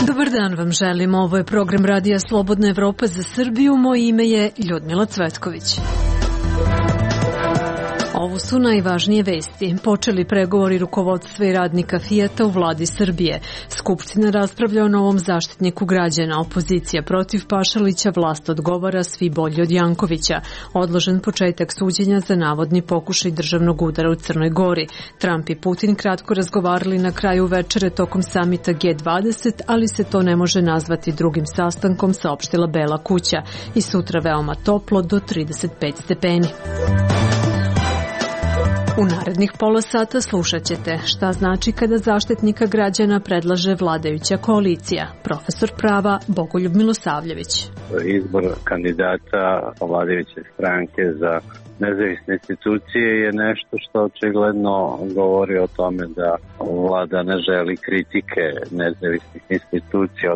Dobar dan vam želim, ovo je program Radija Slobodna Evropa za Srbiju, moje ime je Ljudmila Cvetković. Ovo su najvažnije vesti. Počeli pregovori rukovodstva i radnika Fijata u vladi Srbije. Skupština raspravlja o novom zaštitniku građana. Opozicija protiv Pašalića, vlast odgovara svi bolji od Jankovića. Odložen početak suđenja za navodni pokušaj državnog udara u Crnoj Gori. Trump i Putin kratko razgovarali na kraju večere tokom samita G20, ali se to ne može nazvati drugim sastankom, saopštila Bela kuća. I sutra veoma toplo do 35 stepeni. U narednih pola sata slušat ćete šta znači kada Zaštitnika građana predlaže vladajuća koalicija. Profesor prava Bogoljub Milosavljević. Izbor kandidata vladajuće stranke za nezavisne institucije je nešto što očigledno govori o tome da vlada ne želi kritike nezavisnih institucija.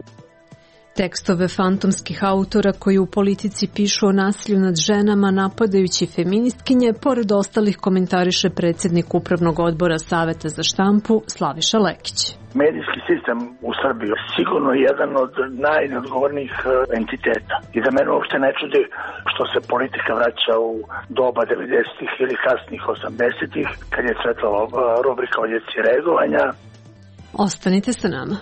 Tekstove fantomskih autora koji u politici pišu o nasilju nad ženama napadajući feministkinje, pored ostalih komentariše predsjednik Upravnog odbora Saveta za štampu Slaviša Lekić. Medijski sistem u Srbiji je sigurno jedan od najneodgovornijih entiteta. I da mene uopšte ne čudi što se politika vraća u doba 90-ih ili kasnih 80-ih, kad je cvetala rubrika o djeci reagovanja. Ostanite sa nama.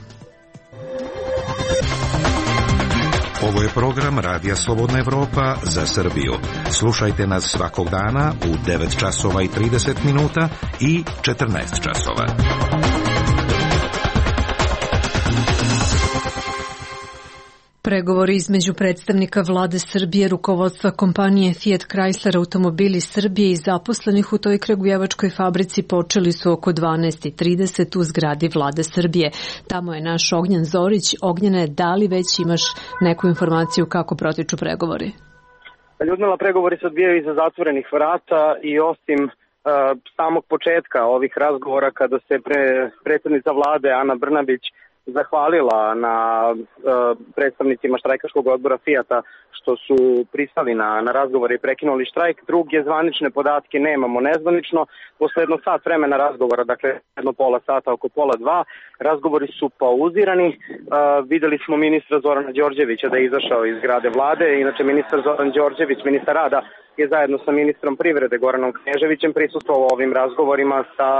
Ovo je program Radija Slobodna Evropa za Srbiju. Slušajte nas svakog dana u 9 časova i 30 minuta i 14 časova. Pregovori između predstavnika vlade Srbije, rukovodstva kompanije Fiat Chrysler Automobili Srbije i zaposlenih u toj kragujevačkoj fabrici počeli su oko 12:30 u zgradi vlade Srbije. Tamo je naš Ognjen Zorić. Ognjene, da li već imaš neku informaciju kako protiču pregovori? Ljudmila, pregovori se odvijaju iza zatvorenih vrata i osim samog početka ovih razgovora kada se predsjednica vlade Ana Brnabić zahvalila na predstavnicima štrajkaškog odbora Fijata što su pristali na razgovor i prekinuli štrajk. Druge zvanične podatke nemamo nezvanično. Posle jedno sat vremena razgovora, dakle jedno pola sata, oko pola dva, razgovori su pauzirani. Videli smo ministra Zorana Đorđevića da je izašao iz zgrade vlade. Inače, ministar Zoran Đorđević, ministar rada, je zajedno sa ministrom privrede Goranom Kneževićem prisustvovao ovim razgovorima sa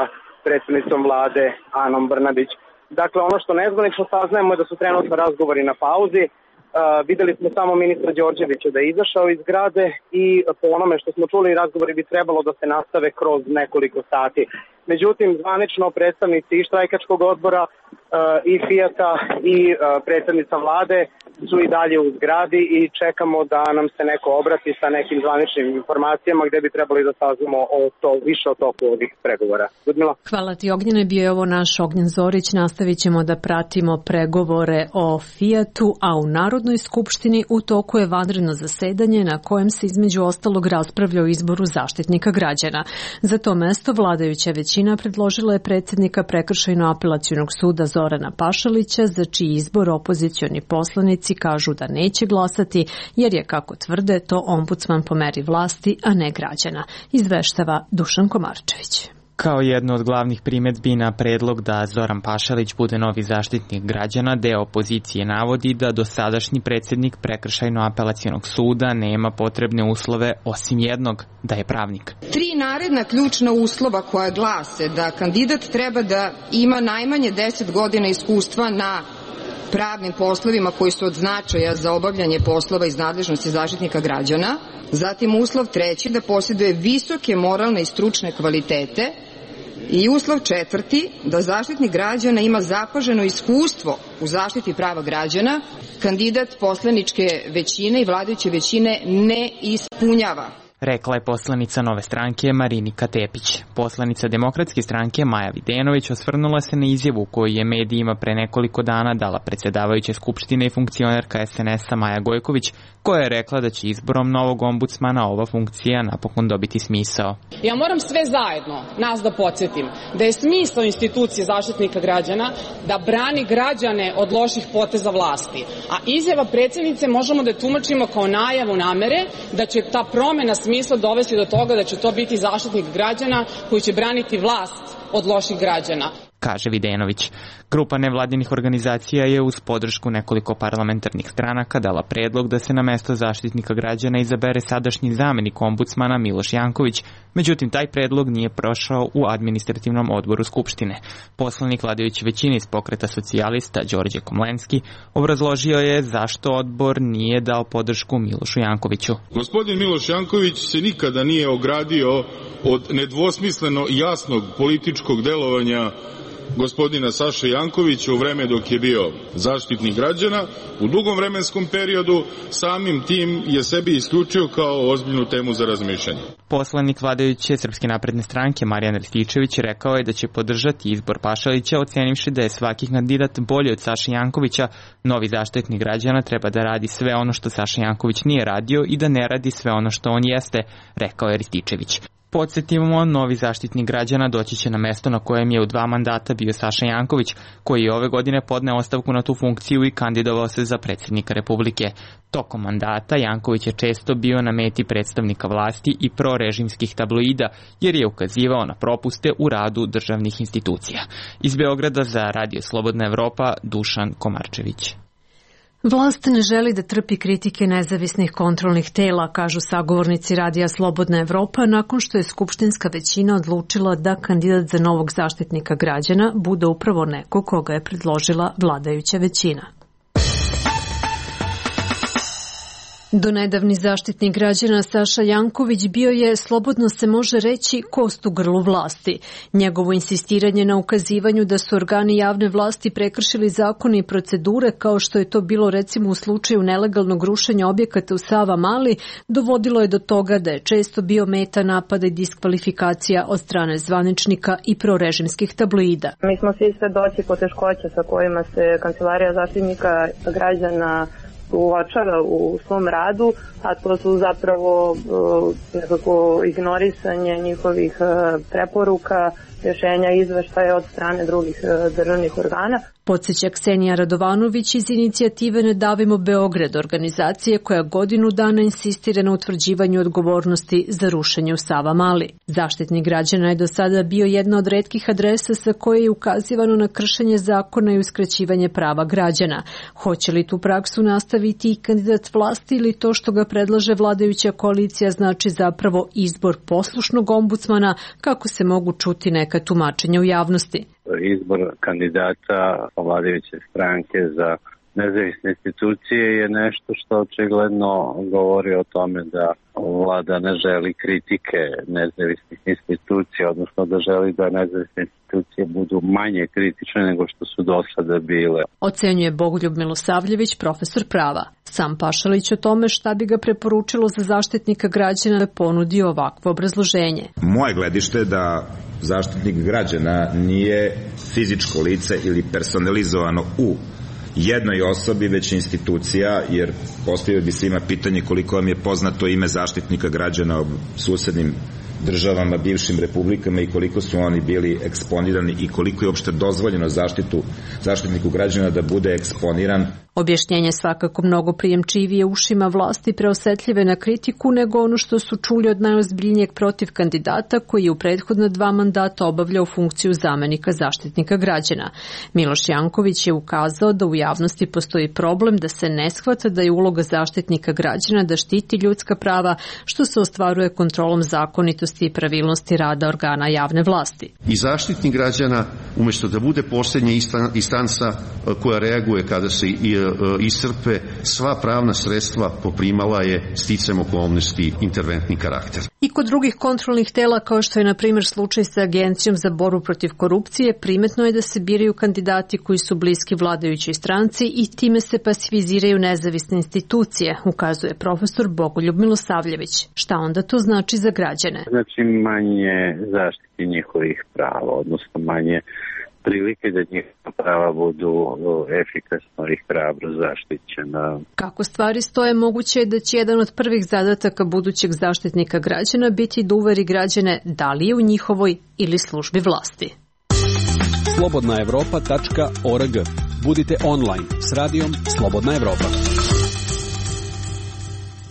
predstavnicom vlade Anom Brnabić. Dakle, ono što nezvanično saznajemo je da su trenutno razgovori na pauzi. Videli smo samo ministra Đorđevića da je izašao iz zgrade i po onome što smo čuli, razgovori bi trebalo da se nastave kroz nekoliko sati. Međutim, zvanično predstavnici i štrajkačkog odbora i Fijata i predstavnica vlade su i dalje u zgradi i čekamo da nam se neko obrati sa nekim zvaničnim informacijama gde bi trebali da saznamo više o toku ovih pregovora. Ljudmila? Hvala ti, Ognjene. Bio je ovo naš Ognjen Zorić. Nastavit ćemo da pratimo pregovore o Fijatu, a u Narodnoj skupštini u toku je vanredno zasedanje na kojem se između ostalog raspravlja o izboru Zaštitnika građana. Za to mesto vladajuća većina predložila je predsjednika Prekršajno-apelacionog suda Zorana Pašalića, za čiji izbor opozicioni poslanici kažu da neće glasati, jer je, kako tvrde, to ombudsman po meri vlasti, a ne građana. Izveštava Dušan Komarčević. Kao jedno od glavnih primedbi na predlog da Zoran Pašalić bude novi zaštitnik građana, deo opozicije navodi da dosadašnji predsjednik Prekršajno-apelacionog suda nema potrebne uslove osim jednog, da je pravnik. 3 naredna ključna uslova koja glase da kandidat treba da ima najmanje 10 godina iskustva na pravnim poslovima koji su od značaja za obavljanje poslova iz nadležnosti Zaštitnika građana. Zatim uslov 3. da posjeduje visoke moralne i stručne kvalitete. I uslov 4. da Zaštitnik građana ima zapaženo iskustvo u zaštiti prava građana. Kandidat poslaničke većine i vladajuće većine ne ispunjava. Rekla je poslanica Nove stranke Marinika Tepić. Poslanica Demokratske stranke Maja Videnović osvrnula se na izjavu koju je medijima pre nekoliko dana dala predsjedavajuća Skupštine i funkcionerka SNS-a Maja Gojković, koja je rekla da će izborom novog ombudsmana ova funkcija napokon dobiti smisao. Ja moram sve zajedno nas da podsjetim da je smisao institucije Zaštitnika građana da brani građane od loših poteza vlasti, a izjava predsjednice možemo da tumačimo kao najavu namere da će ta promena smisla smisla dovesti do toga da će to biti zaštitnik građana koji će braniti vlast od loših građana, kaže Videnović. Grupa nevladinih organizacija je uz podršku nekoliko parlamentarnih stranaka dala predlog da se na mesto zaštitnika građana izabere sadašnji zamenik ombudsmana Miloš Janković, međutim taj predlog nije prošao u administrativnom odboru Skupštine. Poslanik vladajuće većine iz Pokreta socijalista Đorđe Komlenski obrazložio je zašto odbor nije dao podršku Milošu Jankoviću. Gospodin Miloš Janković se nikada nije ogradio od nedvosmisleno jasnog političkog delovanja gospodina Saše Jankovića u vreme dok je bio zaštitnik građana. U dugom vremenskom periodu samim tim je sebi isključio kao ozbiljnu temu za razmišljanje. Poslanik vladajuće Srpske napredne stranke Marijan Rističević rekao je da će podržati izbor Pašalića, ocenivši da je svaki kandidat bolji od Saše Jankovića. Novi zaštitnik građana treba da radi sve ono što Saša Janković nije radio i da ne radi sve ono što on jeste, rekao je Rističević. Podsjetimo, novi zaštitnik građana doći će na mesto na kojem je u 2 mandata bio Saša Janković, koji je ove godine podneo ostavku na tu funkciju i kandidovao se za predsjednika Republike. Tokom mandata Janković je često bio na meti predstavnika vlasti i prorežimskih tabloida, jer je ukazivao na propuste u radu državnih institucija. Iz Beograda za Radio Slobodna Evropa, Dušan Komarčević. Vlast ne želi da trpi kritike nezavisnih kontrolnih tela, kažu sagovornici Radija Slobodna Evropa, nakon što je skupštinska većina odlučila da kandidat za novog zaštitnika građana bude upravo neko koga je predložila vladajuća većina. Donedavni zaštitnik građana Saša Janković bio je, slobodno se može reći, kost u grlu vlasti. Njegovo insistiranje na ukazivanju da su organi javne vlasti prekršili zakone i procedure, kao što je to bilo recimo u slučaju nelegalnog rušenja objekata u Savamali, dovodilo je do toga da je često bio meta napada i diskvalifikacija od strane zvaničnika i prorežimskih tabloida. Mi smo svi svedoci poteškoća sa kojima se Kancelarija zaštitnika građana uočava u svom radu, a to su zapravo nekako ignorisanje njihovih preporuka, rješenja, izveštaja od strane drugih državnih organa. Podsjeća Ksenija Radovanović iz inicijative Ne davimo Beograd, organizacije koja godinu dana insistira na utvrđivanju odgovornosti za rušenje u Savamali. Zaštitnik građana je do sada bio jedna od retkih adresa sa koje je ukazivano na kršenje zakona i uskraćivanje prava građana. Hoće li tu praksu nastaviti i kandidat vlasti ili to što ga predlaže vladajuća koalicija znači zapravo izbor poslušnog ombudsmana, kako se mogu čuti neka tumačenja u javnosti? Izbor kandidata vladajuće stranke za nezavisne institucije je nešto što očigledno govori o tome da vlada ne želi kritike nezavisnih institucija, odnosno da želi da nezavisne institucije budu manje kritične nego što su do sada bile. Ocenjuje Bogoljub Milosavljević, profesor prava. Sam Pašalić o tome šta bi ga preporučilo za zaštitnika građana ponudio ovakvo obrazloženje. Moje gledište je da zaštitnik građana nije fizičko lice ili personalizovano u jednoj osobi, već institucija, jer postavio bi se ima pitanje koliko vam je poznato ime zaštitnika građana u susednim državama, bivšim republikama i koliko su oni bili eksponirani i koliko je uopšte dozvoljeno zaštitniku građana da bude eksponiran. Objašnjenje svakako mnogo prijemčivije ušima vlasti preosetljive na kritiku nego ono što su čuli od najozbiljnijeg protiv kandidata koji je u prethodna 2 mandata obavljao funkciju zamenika zaštitnika građana. Miloš Janković je ukazao da u javnosti postoji problem da se ne shvata da je uloga zaštitnika građana da štiti ljudska prava, što se ostvaruje kontrolom zakonitosti i pravilnosti rada organa javne vlasti. I zaštitnik građana, umjesto da bude posljednja instanca koja reaguje kada se iscrpe sva pravna sredstva, poprimala je sticajem okolnosti interventni karakter. I kod drugih kontrolnih tela, kao što je na primjer slučaj sa Agencijom za borbu protiv korupcije, primetno je da se biraju kandidati koji su bliski vladajućoj stranci i time se pasiviziraju nezavisne institucije, ukazuje profesor Bogoljub Milosavljević. Šta onda to znači za građane? Znači manje zaštiti njihovih prava, odnosno manje prilike da njihova prava budu efikasno i hrabro zaštićena. Kako stvari stoje, moguće je da će jedan od prvih zadataka budućeg zaštitnika građana biti da uveri građane da li je u njihovoj ili službi vlasti. slobodnaevropa.org. Budite online s radijom Slobodna Evropa.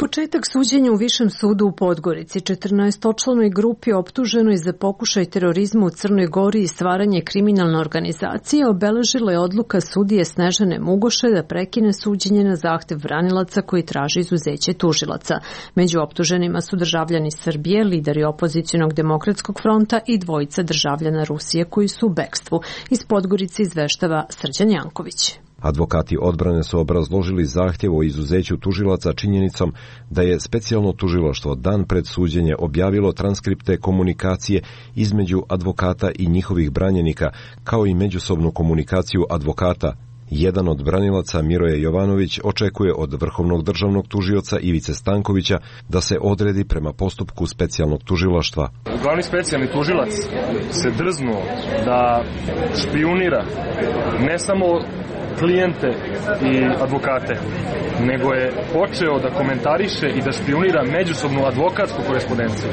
Početak suđenja u Višem sudu u Podgorici 14-članoj grupi optuženoj za pokušaj terorizma u Crnoj Gori i stvaranje kriminalne organizacije obeležila je odluka sudije Snežane Mugoše da prekine suđenje na zahtev branilaca koji traži izuzeće tužilaca. Među optuženima su državljani Srbije, lideri opozicionog demokratskog fronta i dvojica državljana Rusije koji su u bekstvu. Iz Podgorice izveštava Srđan Janković. Advokati odbrane su obrazložili zahtjev o izuzeću tužilaca činjenicom da je specijalno tužilaštvo dan pred suđenje objavilo transkripte komunikacije između advokata i njihovih branjenika, kao i međusobnu komunikaciju advokata. Jedan od branilaca, Miroje Jovanović, očekuje od vrhovnog državnog tužioca Ivice Stankovića da se odredi prema postupku specijalnog tužilaštva. Glavni specijalni tužilac se drznuo da špijunira ne samo klijente i advokate, nego je počeo da komentariše i da špijunira međusobnu advokatsku korespondenciju.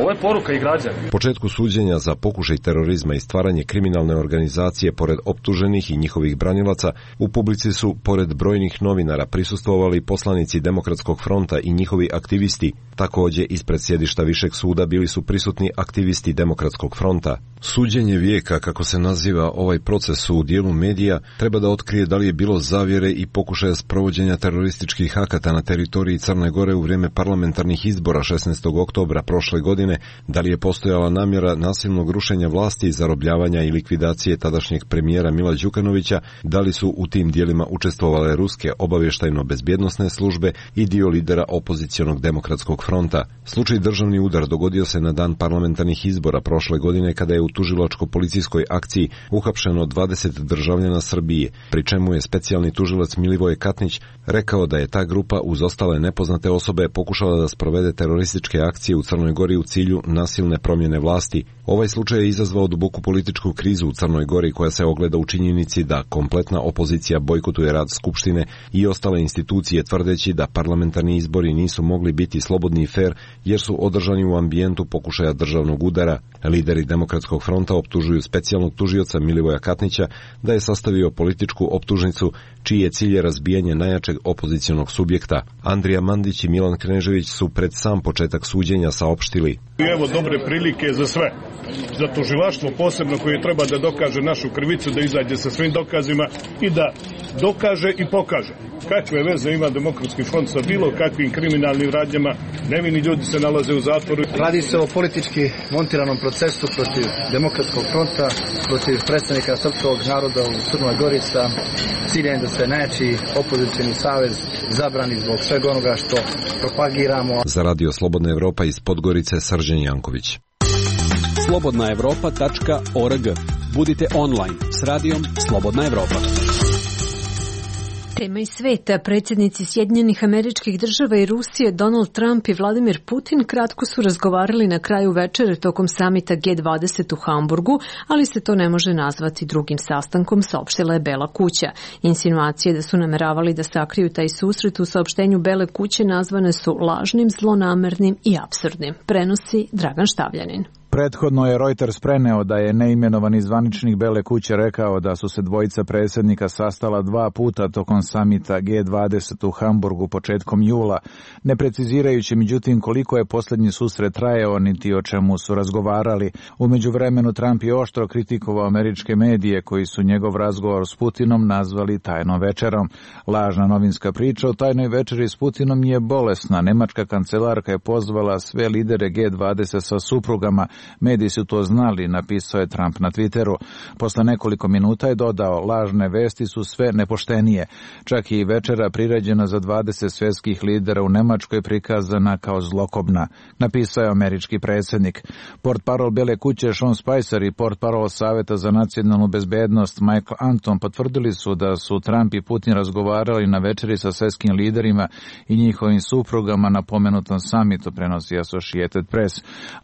Ovo je poruka i građana. Početku suđenja za pokušaj terorizma i stvaranje kriminalne organizacije pored optuženih i njihovih branilaca, u publici su, pored brojnih novinara, prisustvovali poslanici Demokratskog fronta i njihovi aktivisti. Takođe, ispred sjedišta Višeg suda bili su prisutni aktivisti Demokratskog fronta. Suđenje vijeka, kako se naziva ovaj proces u dijelu medija, treba da otkrije da li je bilo zavjere i pokušaja sprovođenja terorističkih akata na teritoriji Crne Gore u vrijeme parlamentarnih izbora 16. oktobra prošle godine, da li je postojala namjera nasilnog rušenja vlasti, zarobljavanja i likvidacije tadašnjeg premijera Mila Đukanovića, da li su u tim dijelima učestvovale ruske obavještajno-bezbjednosne službe i dio lidera opozicionog Demokratskog fronta. Slučaj državni udar dogodio se na dan parlamentarnih izbora prošle godine kada je u tužilačko-policijskoj akciji uhapšeno 20 državljana Srbije, pri čemu je specijalni tužilac Milivoje Katnić rekao da je ta grupa uz ostale nepoznate osobe pokušala da sprovede terorističke akcije u Crnoj Gori u cilju nasilne promjene vlasti. Ovaj slučaj je izazvao duboku političku krizu u Crnoj Gori koja se ogleda u činjenici da kompletna opozicija bojkotuje rad Skupštine i ostale institucije tvrdeći da parlamentarni izbori nisu mogli biti slobodni i fer jer su održani u ambijentu pokušaja državnog udara. Lideri Demokratskog fronta optužuju specijalnog tužioca Milivoja Katnića da je sastavio političku optužnicu čiji je cilj razbijanje najjačeg opozicionog subjekta. Andrija Mandić i Milan Knežević su pred sam početak suđenja saopštili: Evo dobre prilike za sve. Za tužilaštvo posebno koje treba da dokaže našu krivicu, da izađe sa svim dokazima i da dokaže i pokaže kakve veze ima Demokratski front sa bilo kakvim kriminalnim radnjama. Nevini ljudi se nalaze u zatvoru. Radi se o politički montiranom procesu protiv Demokratskog fronta, protiv predstavnika srpskog naroda u Crnoj Gori sa ciljem da se najjači opozicioni savez zabrani zbog svega onoga što propagiramo. Za Radio Slobodna Evropa iz Podgorice, Srđan Janković. slobodnaevropa.org. Budite online s radijom Slobodna Evropa. Tema iz sveta. Predsjednici Sjedinjenih Američkih Država i Rusije Donald Trump i Vladimir Putin kratko su razgovarali na kraju večere tokom samita G20 u Hamburgu, ali se to ne može nazvati drugim sastankom, saopštila je Bela kuća. Insinuacije da su nameravali da sakriju taj susret u saopštenju Bele kuće nazvane su lažnim, zlonamernim i apsurdnim. Prenosi Dragan Štavljanin. Prethodno je Reuters preneo da je neimenovani zvaničnik Bele kuće rekao da su se dvojica predsjednika sastala 2 puta tokom samita G20 u Hamburgu početkom jula, ne precizirajući međutim koliko je posljednji susret trajao niti o čemu su razgovarali. U međuvremenu Trump je oštro kritikovao američke medije koji su njegov razgovor s Putinom nazvali tajnom večerom. Lažna novinska priča o tajnoj večeri s Putinom je bolesna. Nemačka kancelarka je pozvala sve lidere G20 sa suprugama. Mediji su to znali, napisao je Trump na Twitteru. Posle nekoliko minuta je dodao: lažne vesti su sve nepoštenije. Čak i večera priređena za 20 svjetskih lidera u Nemačkoj prikazana kao zlokobna, napisao je američki predsjednik. Portparol Bele kuće Sean Spicer i portparol Saveta za nacionalnu bezbednost Michael Anton potvrdili su da su Trump i Putin razgovarali na večeri sa svjetskim liderima i njihovim suprugama na pomenutom samitu, prenosi Associated Press.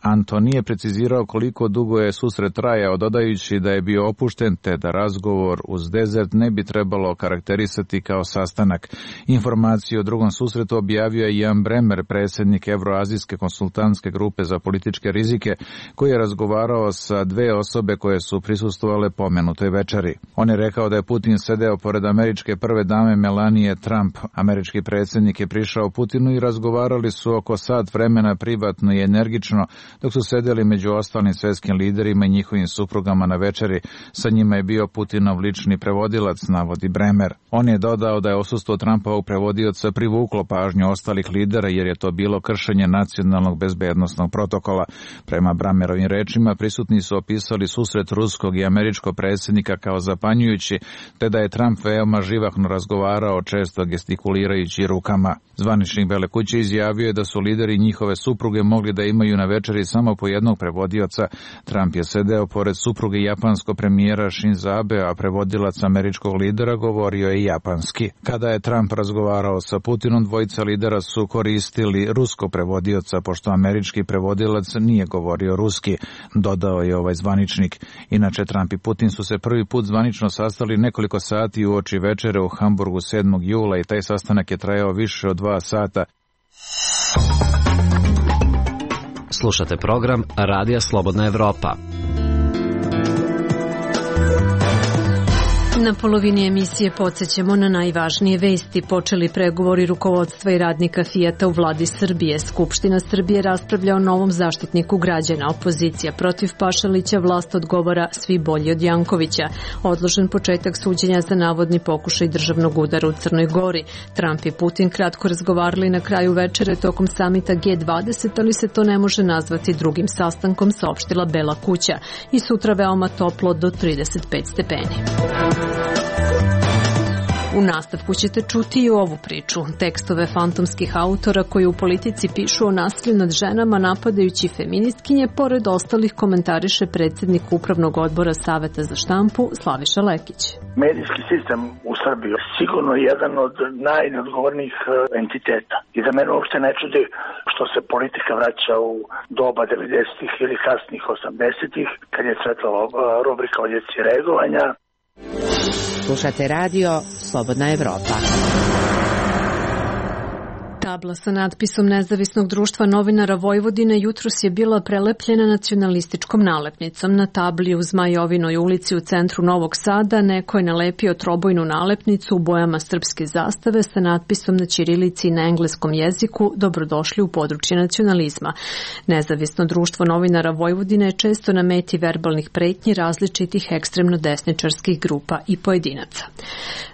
Anton nije precizirao precizirao koliko dugo je susret trajao, dodajući da je bio opušten te da razgovor uz Desert ne bi trebalo karakterisati kao sastanak. Informaciju o drugom susretu objavio je Jan Bremer, predsjednik Evroazijske konsultantske grupe za političke rizike, koji je razgovarao sa dve osobe koje su prisustvovale pomenutoj večeri. On je rekao da je Putin sedeo pored američke prve dame Melanie Trump. Američki predsjednik je prišao Putinu i razgovarali su oko sat vremena privatno i energično, dok su sedeli među ostalim svjetskim liderima i njihovim suprugama na večeri. Sa njima je bio Putinov lični prevodilac, navodi Bremer. On je dodao da je odsustvo Trumpovog prevodioca privuklo pažnju ostalih lidera jer je to bilo kršenje nacionalnog bezbednosnog protokola. Prema Bremerovim rečima, prisutni su opisali susret ruskog i američkog predsjednika kao zapanjujući, te da je Trump veoma živahno razgovarao, često gestikulirajući rukama. Zvaničnik Bele kuće izjavio je da su lideri i njihove supruge mogli da imaju na večeri samo po jednog prevodioca. Trump je sedeo pored supruge japanskog premijera Shinzo Abe, a prevodilac američkog lidera govorio je japanski. Kada je Trump razgovarao sa Putinom, dvojica lidera su koristili ruskog prevodioca, pošto američki prevodilac nije govorio ruski, dodao je ovaj zvaničnik. Inače, Trump i Putin su se prvi put zvanično sastali nekoliko sati uoči večere u Hamburgu 7. jula i taj sastanak je trajao više od 2 sata. Slušate program Radija Slobodna Evropa. Na polovini emisije podsjećamo na najvažnije vesti. Počeli pregovori rukovodstva i radnika Fijata u vladi Srbije. Skupština Srbije raspravlja o novom zaštitniku građana. Opozicija protiv Pašalića, vlast odgovara svi bolji od Jankovića. Odložen početak suđenja za navodni pokušaj državnog udara u Crnoj Gori. Trump i Putin kratko razgovarali na kraju večere tokom samita G20, ali se to ne može nazvati drugim sastankom, saopštila Bela kuća. I sutra veoma toplo do 35 stepeni. U nastavku ćete čuti i ovu priču. Tekstove fantomskih autora koji u politici pišu o nasilju nad ženama napadajući feministkinje, pored ostalih komentariše predsjednik Upravnog odbora Saveta za štampu Slaviša Lekić. Medijski sistem u Srbiji je sigurno jedan od najneodgovornijih entiteta. I da mene uopšte ne čudi što se politika vraća u doba 90-ih ili kasnih 80-ih, kad je cvetala rubrika o djeci reagovanja. Slušate radio Slobodna Evropa. Tabla sa natpisom Nezavisnog društva novinara Vojvodine jutros je bila prelepljena nacionalističkom nalepnicom. Na tabli u Zmajovinoj ulici u centru Novog Sada neko je nalepio trobojnu nalepnicu u bojama srpske zastave sa natpisom na ćirilici i na engleskom jeziku "Dobrodošli u područje nacionalizma". Nezavisno društvo novinara Vojvodine je često na meti verbalnih pretnji različitih ekstremno desničarskih grupa i pojedinaca.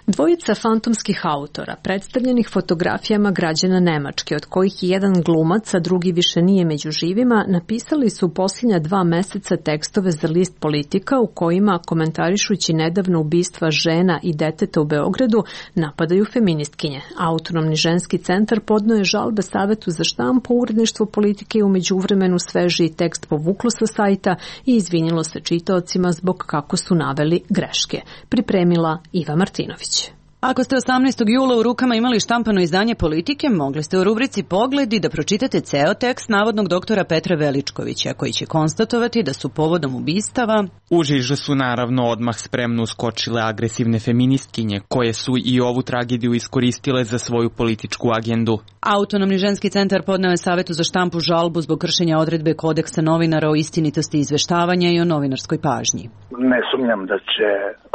Dvojica fantomskih autora, predstavljenih fotografijama građana Nemačke, od kojih je jedan glumac, a drugi više nije među živima, napisali su posljednja 2 meseca tekstove za list Politika u kojima, komentarišući nedavno ubistva žena i deteta u Beogradu, napadaju feministkinje. Autonomni ženski centar podneo je žalbe Savetu za štampu, uredništvo Politike i u međuvremenu svežiji tekst povuklo sa sajta i izvinilo se čitaocima zbog kako su naveli greške. Pripremila Iva Martinović. Ako ste 18. jula u rukama imali štampano izdanje Politike, mogli ste u rubrici Pogledi da pročitate ceo tekst navodnog doktora Petra Veličkovića, koji će konstatovati da su povodom ubistava u žižu su naravno odmah spremno uskočile agresivne feministkinje, koje su i ovu tragediju iskoristile za svoju političku agendu. Autonomni ženski centar podneo je Savetu za štampu žalbu zbog kršenja odredbe kodeksa novinara o istinitosti izveštavanja i o novinarskoj pažnji. Ne sumnjam da će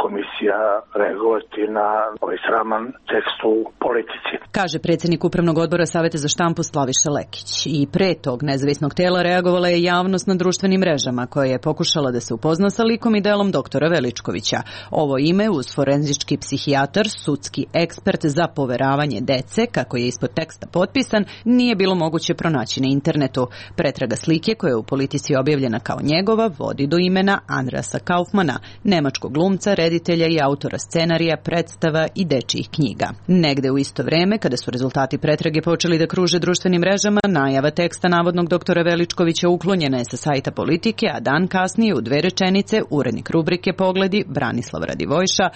komisija reagovati na ovaj sraman tekst u Politici, kaže predsjednik Upravnog odbora Saveta za štampu Slaviša Lekić. I pre tog nezavisnog tela reagovala je javnost na društvenim mrežama, koja je pokušala da se upozna sa likom i delom doktora Veličkovića. Ovo ime, uz forenzički psihijatar, sudski ekspert za poveravanje dece, kako je ispod teksta potpisan, nije bilo moguće pronaći na internetu. Pretraga slike, koja je u Politici objavljena kao njegova, vodi do imena Andreasa Kaufmana, nemačkog glumca, reditelja i autora scenarija, predstava i dečijih knjiga. Negde u isto vreme, kada su rezultati pretrage počeli da kruže društvenim mrežama, najava teksta navodnog doktora Veličkovića uklonjena je sa sajta Politike, a dan kasnije u 2 rečenice urednik rubrike Pogledi Branislav Radivojša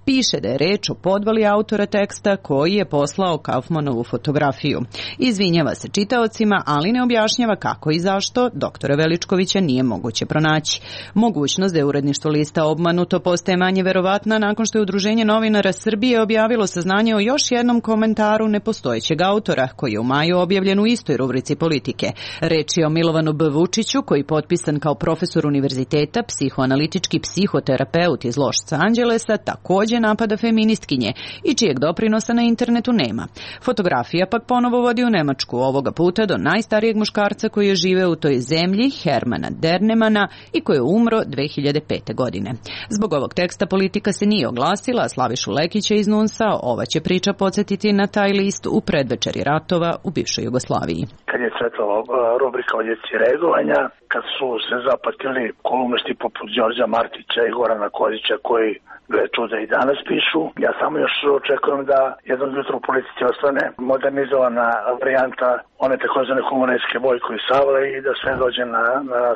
piše da je reč o podvali autora teksta koji je poslao Kaufmanovu fotografiju. Izvinjava se čitaocima, ali ne objašnjava kako i zašto doktora Veličkovića nije moguće pronaći. Mogućnost da je uredništvo lista obmanuto postaje manje verovatna nakon što je Udruženje novinara Srbije objavilo saznanje o još jednom komentaru nepostojećeg autora, koji je u maju objavljen u istoj rubrici Politike. Reč je o Milovanu B. Vučiću, koji potpisan kao profesor univerziteta, psihoanalitički psihoterapeut iz Los Angelesa, takođe napada feministkinje i čijeg doprinosa na internetu nema. Fotografija pak ponovo vodi u Nemačku, ovoga puta do najstarijeg muškarca koji je živeo u toj zemlji, Hermana Dernemana, i koji je umro 2005. godine. Zbog ovog teksta Politika se nije oglasila, a Slavišu Lekića iz NUNS-a ova će priča podsjetiti na taj list u predvečeri ratova u bivšoj Jugoslaviji. Kad je cvetala rubrika o djeci reagovanja, kad su se zapatili kolumnisti poput Đorđa Martića i Gorana Kozića koji gle čuda i danas pišu, ja samo još očekujem da jednog jutra u Politici ostane modernizovana varijanta one takozvane humoreske Bojko i Savle i da sve dođe na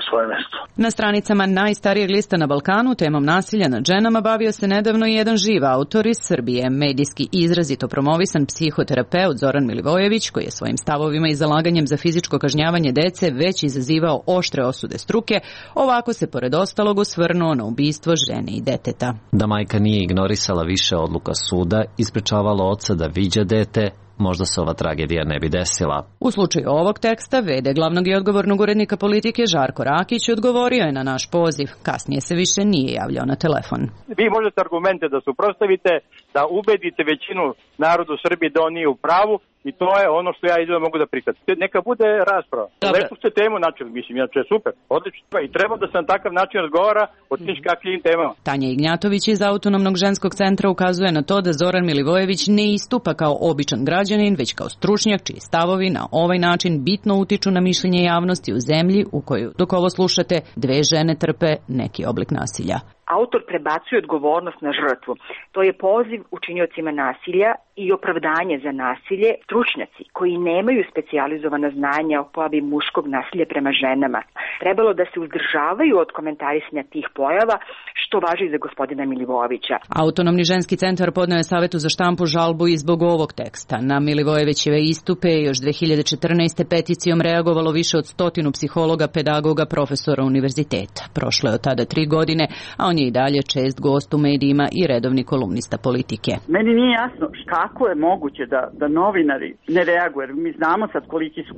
svoje mesto. Na stranicama najstarijeg lista na Balkanu temom nasilja nad ženama bavio se nedavno i jedan živ autor iz Srbije, medijski izrazito promovisan psihoterapeut Zoran Milivojević, koji je svojim stavovima i zalaganjem za fizičko kažnjavanje dece već izazivao oštre osude struke. Ovako se pored ostalog osvrnuo na ubistvo žene i deteta. Da majka nije ignorisala više odluka suda i sprečavala oca da viđa dete, možda se ova tragedija ne bi desila. U slučaju ovog teksta, v.d. glavnog i odgovornog urednika Politike Žarko Rakić odgovorio je na naš poziv. Kasnije se više nije javljao na telefon. Vi možete argumente da suprotstavite, da ubedite većinu narodu Srbije da on nije u pravu, i to je ono što ja idem mogu da prihvatim. Neka bude rasprava. Lepo ste temu načeli, mislim, inače je super, odlično. I treba da se na takav način razgovara o tim kakvim temama. Tanja Ignjatović iz Autonomnog ženskog centra ukazuje na to da Zoran Milivojević ne istupa kao običan građanin, već kao stručnjak čiji stavovi na ovaj način bitno utiču na mišljenje javnosti u zemlji u kojoj, dok ovo slušate, 2 žene trpe neki oblik nasilja. Autor prebacuje odgovornost na žrtvu. To je poziv učiniocima nasilja i opravdanje za nasilje, stručnjaci koji nemaju specijalizovana znanja o pojavi muškog nasilja prema ženama. Trebalo da se uzdržavaju od komentarisanja tih pojava, što važi za gospodina Milivojevića. Autonomni ženski centar podneo je Savetu za štampu žalbu i zbog ovog teksta. Na Milivojevićeve istupe još 2014. peticijom reagovalo više od 100 psihologa, pedagoga, profesora univerziteta. Prošlo je od tada 3 godine, a on je i dalje čest gost u medijima i redovni kolumnista Politike. Meni nije jasno kako je moguće da novinari ne reaguju. Mi znamo sad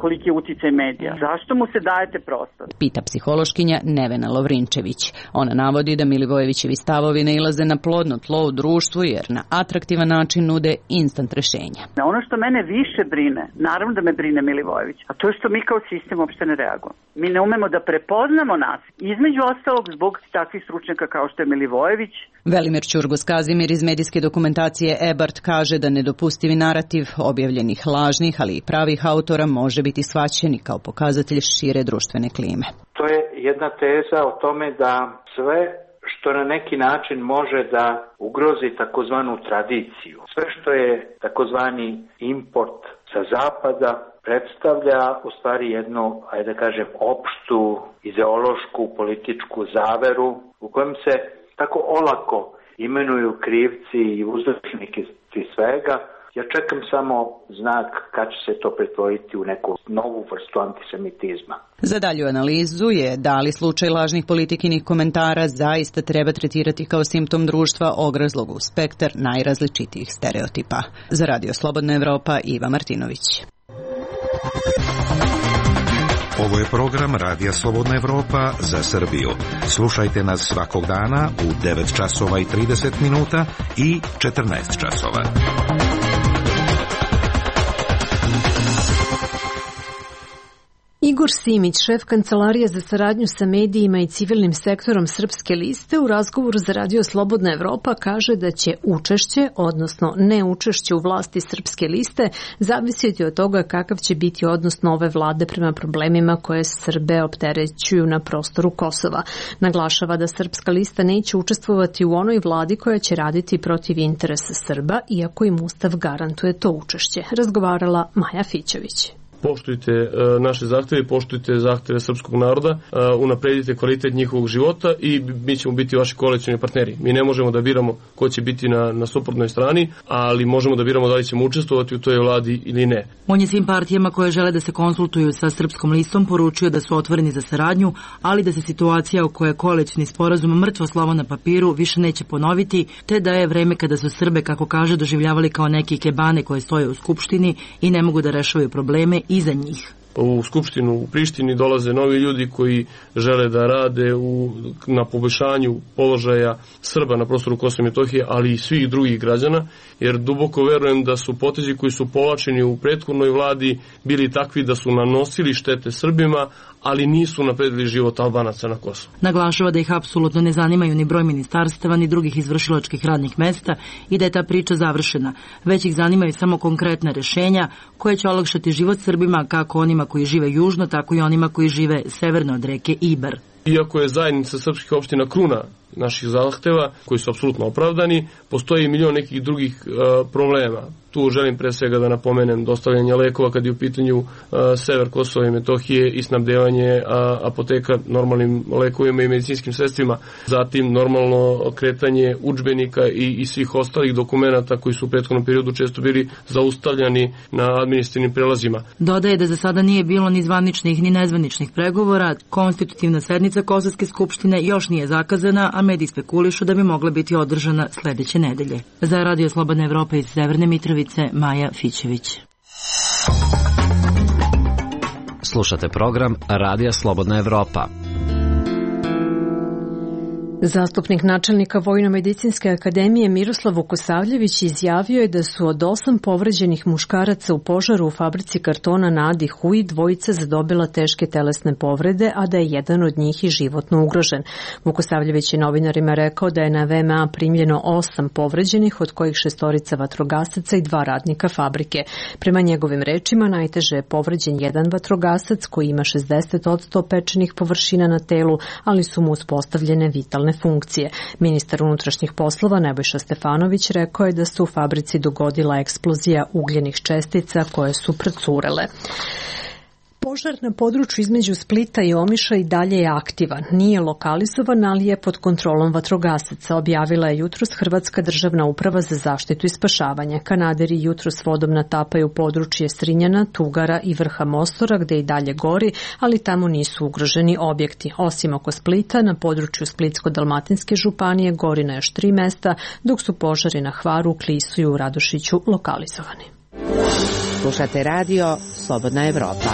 koliki je uticaj medija. Zašto mu se dajete prostor? Pita psihološkinja Nevena Lovrinčević. Ona navodi da Milivojevićevi stavovi nailaze na plodno tlo u društvu jer na atraktivan način nude instant rešenja. Ono što mene više brine, naravno da me brine Milivojević, a to je što mi kao sistem uopšte ne reagujemo. Mi ne umemo da prepoznamo nas. Između ostalog zbog takvih stručnjaka kao što je Milivojević. Velimir Ćurgos-Kazimir iz medijske dokumentacije Ebart kaže da nedopustivi narativ objavljenih lažnih, ali i pravih autora može biti shvaćen kao pokazatelj šire društvene klime. To je jedna teza o tome da sve što na neki način može da ugrozi takozvanu tradiciju, sve što je takozvani import sa zapada, predstavlja u stvari jednu, ajde da kažem, opštu ideološku političku zaveru u kojem se tako olako imenuju krivci i uzročniki svega. Ja čekam samo znak kad će se to pretvoriti u neku novu vrstu antisemitizma. Za dalju analizu je da li slučaj lažnih politikinih komentara zaista treba tretirati kao simptom društva ograzlog u spektar najrazličitijih stereotipa. Za Radio Slobodna Evropa, Iva Martinović. Ovo je program Radija Slobodna Evropa za Srbiju. Slušajte nas svakog dana u 9 časova i 30 minuta i 14 časova. Igor Simić, šef Kancelarije za saradnju sa medijima i civilnim sektorom Srpske liste, u razgovoru za Radio Slobodna Evropa kaže da će učešće, odnosno neučešće u vlasti Srpske liste, zavisiti od toga kakav će biti odnos nove vlade prema problemima koje Srbe opterećuju na prostoru Kosova. Naglašava da Srpska lista neće učestvovati u onoj vladi koja će raditi protiv interesa Srba, iako im Ustav garantuje to učešće. Razgovarala Maja Fićević. Poštujte naše zahteve, poštujte zahteve srpskog naroda, unapredite kvalitet njihovog života i mi ćemo biti vaši koalicioni partneri. Mi ne možemo da biramo ko će biti na suprotnoj strani, ali možemo da biramo da li ćemo učestvovati u toj vladi ili ne. On je svim partijama koje žele da se konsultuju sa Srpskom listom poručio da su otvoreni za saradnju, ali da se situacija u kojoj je koalicioni sporazum mrtvo slovo na papiru više neće ponoviti, te da je vreme kada su Srbe, kako kaže, doživljavali kao neki ikebane koje stoje u Skupštini i ne mogu da rešavaju probleme iza njih. U Skupštinu u Prištini dolaze novi ljudi koji žele da rade na poboljšanju položaja Srba na prostoru Kosova i Metohije, ali i svih drugih građana, jer duboko verujem da su potezi koji su povlačeni u prethodnoj vladi bili takvi da su nanosili štete Srbima, ali nisu napredili život Albanaca na Kosovu. Naglašava da ih apsolutno ne zanimaju ni broj ministarstava, ni drugih izvršilačkih radnih mesta i da je ta priča završena. Već ih zanimaju samo konkretna rešenja koje će olakšati život Srbima, kako onima koji žive južno, tako i onima koji žive severno od reke Ibar. Iako je zajednica srpskih opština kruna naših zahteva, koji su apsolutno opravdani, postoji milion nekih drugih problema. Tu želim pre svega da napomenem dostavljanje lekova kad je u pitanju sever Kosova i Metohije i snabdevanje apoteka normalnim lekovima i medicinskim sredstvima. Zatim normalno kretanje udžbenika i svih ostalih dokumenata koji su u prethodnom periodu često bili zaustavljani na administrativnim prelazima. Dodaje da za sada nije bilo ni zvaničnih ni nezvaničnih pregovora. Konstitutivna sednica Kosovske skupštine još nije zakazana, a mediji spekulišu da bi mogla biti održana sledeće nedelje. Za Radio Slobodna Evropa iz Severne Mitrovice, Maja Fićević. Slušate program Radija Slobodna Evropa. Zastupnik načelnika Vojno-medicinske akademije Miroslav Vukosavljević izjavio je da su od 8 povređenih muškaraca u požaru u fabrici kartona na Adi Huj dvojica zadobila teške telesne povrede, a da je jedan od njih i životno ugrožen. Vukosavljević je novinarima rekao da je na VMA primljeno 8 povređenih, od kojih 6 vatrogasaca i 2 radnika fabrike. Prema njegovim rečima, najteže je povređen jedan vatrogasac koji ima 60% pečenih površina na telu, ali su mu uspostavljene vitalne funkcije. Ministar unutrašnjih poslova Nebojša Stefanović rekao je da se u fabrici dogodila eksplozija ugljenih čestica koje su procurele. Požar na području između Splita i Omiša i dalje je aktivan. Nije lokalizovan, ali je pod kontrolom vatrogasaca, objavila je jutros Hrvatska državna uprava za zaštitu i spašavanje. Kanaderi jutros vodom natapaju područje Strinjana, Tugara i vrha Mostora, gde i dalje gori, ali tamo nisu ugroženi objekti. Osim oko Splita, na području Splitsko-dalmatinske županije gori na još 3 mesta, dok su požari na Hvaru, Klisu i u Radošiću lokalizovani. Slušate radio Slobodna Evropa.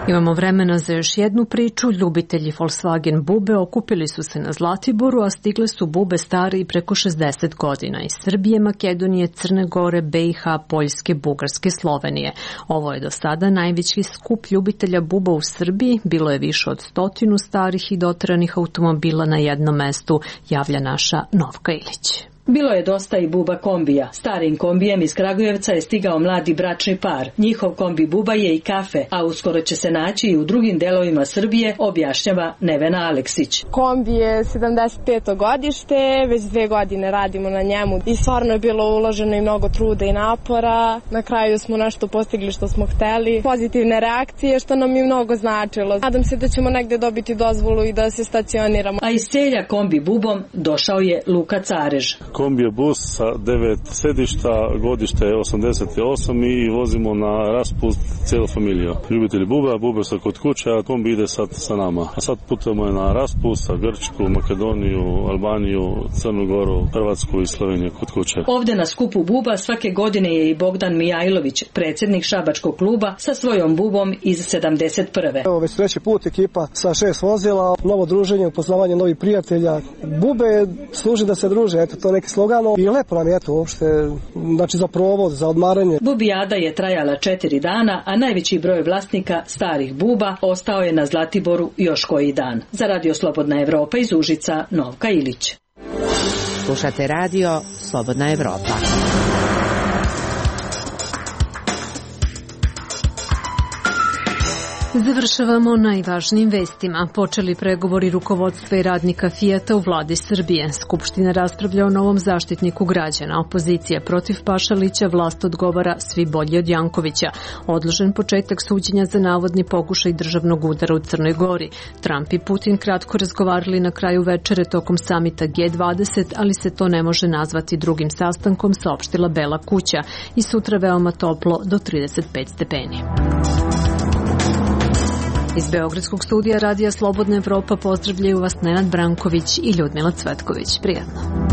Imamo vremena za još jednu priču. Ljubitelji Volkswagen bube okupili su se na Zlatiboru, a stigle su bube stare i preko 60 godina iz Srbije, Makedonije, Crne Gore, BiH, Poljske, Bugarske, Slovenije. Ovo je do sada najveći skup ljubitelja buba u Srbiji. Bilo je više od 100 starih i doteranih automobila na jednom mestu, javlja naša Novka Ilić. Bilo je dosta i buba kombija. Starim kombijem iz Kragujevca je stigao mladi bračni par. Njihov kombi buba je i kafe, a uskoro će se naći i u drugim delovima Srbije, objašnjava Nevena Aleksić. Kombi je 75. godište, već 2 godine radimo na njemu i stvarno je bilo uloženo i mnogo truda i napora. Na kraju smo nešto postigli što smo hteli. Pozitivne reakcije što nam je mnogo značilo. Nadam se da ćemo negde dobiti dozvolu i da se stacioniramo. A iz Celja kombi bubom došao je Luka Carež. Kombi je bus sa 9 sedišta, godište je 88 i vozimo na raspust cijelu familiju. Ljubitelji buba, bube su kod kuće, a kombi ide sad sa nama. A sad putujemo na raspust sa Grčku, Makedoniju, Albaniju, Crnu Goru, Hrvatsku i Sloveniju kod kuće. Ovde na skupu buba svake godine je i Bogdan Mijajlović, predsjednik šabačkog kluba, sa svojom bubom iz 71. Evo već 3. put ekipa sa 6 vozila, novo druženje, upoznavanje novih prijatelja. Bube služi da se druže, eto to neki slogan i lepo nam je to uopšte, znači za provod, za odmaranje. Bubijada je trajala 4 dana, a najveći broj vlasnika starih buba ostao je na Zlatiboru još koji dan. Za Radio Slobodna Evropa iz Užica, Novka Ilić. Slušate Radio Slobodna Evropa. Završavamo najvažnijim vestima. Počeli pregovori rukovodstva i radnika Fijata u vladi Srbije. Skupština raspravlja o novom zaštitniku građana. Opozicija protiv Pašalića, vlast odgovara svi bolji od Jankovića. Odložen početak suđenja za navodni pokušaj državnog udara u Crnoj Gori. Trump i Putin kratko razgovarali na kraju večere tokom samita G20, ali se to ne može nazvati drugim sastankom, saopštila Bela kuća. I sutra veoma toplo do 35 stepeni. Iz Beogradskog studija Radija Slobodna Evropa pozdravljaju vas Nenad Branković i Ljudmila Cvetković. Prijatno.